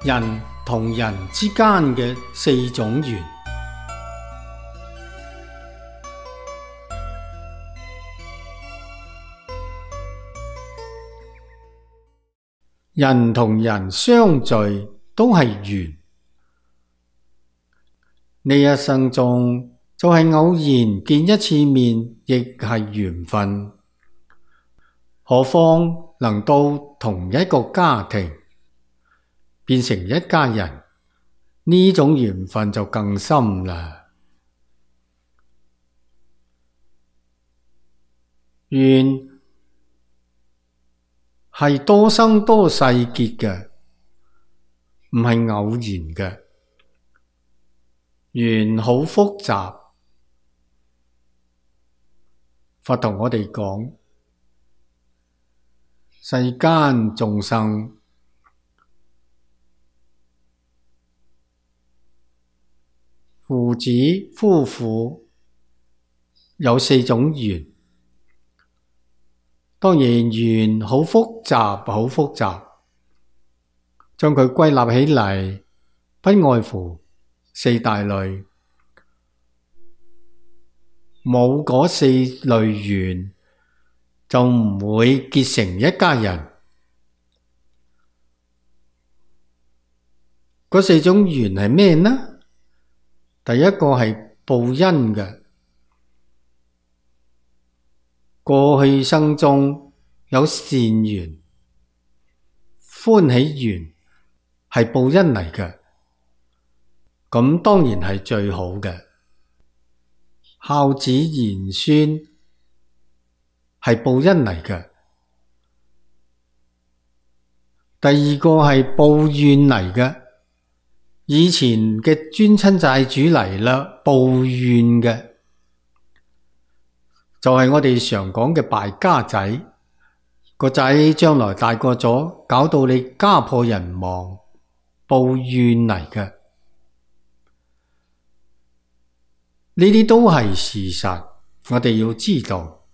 人同人之間嘅四種緣。人同人相聚都係緣，呢一生中就係偶然見一次面，亦係緣分。何況能到同一個家庭，變成一家人，呢種緣分就更深啦。緣係多生多世結嘅，唔係偶然嘅。緣好複雜，佛同我哋講，世間眾生父子夫婦有四種緣。當然緣好複雜，好複雜，將佢歸納起嚟，不外乎四大類。冇嗰四類緣，就唔會結成一家人。嗰四種緣係咩呢？第一個係報恩嘅。過去生中有善緣、歡喜緣，係報恩嚟嘅，咁當然係最好嘅。孝子賢孫係報恩嚟嘅。第二個係報怨嚟嘅，以前嘅冤親債主嚟啦，報怨嘅。就係我哋常講嘅敗家仔，個仔將來大個咗，搞到你家破人亡，報怨嚟嘅。呢啲都係事實，我哋要知道。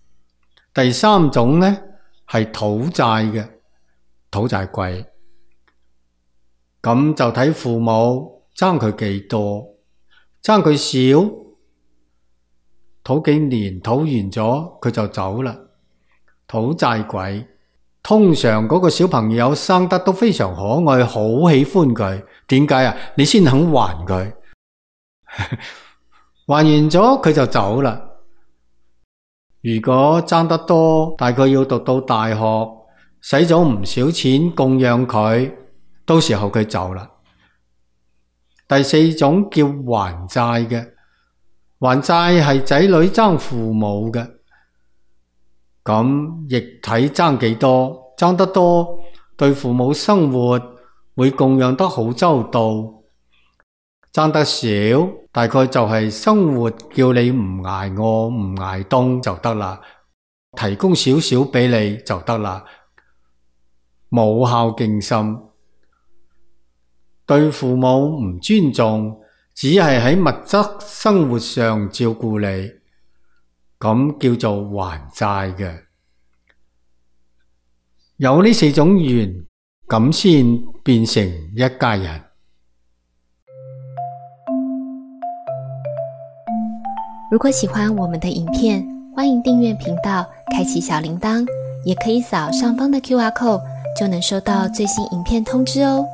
第三種呢，係討債嘅，討債鬼。咁就睇父母爭佢幾多，爭佢少，討幾年，討完咗佢就走啦。討債鬼通常嗰個小朋友生得都非常可愛，好喜歡佢。點解啊？你先肯還佢，還完咗佢就走啦。如果爭得多，大概要讀到大學，使咗唔少錢供養佢，到時候佢走啦。第四種叫還債嘅。還債係仔女爭父母嘅，咁亦睇爭幾多，爭得多對父母生活會供養得好周到，爭得少大概就係生活叫你唔挨餓唔挨凍就得啦，提供少少俾你就得啦，冇孝敬心，對父母唔尊重，只係喺物質生活上照顧你，咁叫做還債嘅。有呢四種緣，咁先變成一家人。如果喜歡我們的影片，歡迎訂閱頻道，開啟小鈴鐺，也可以掃上方的QR code，就能收到最新影片通知哦。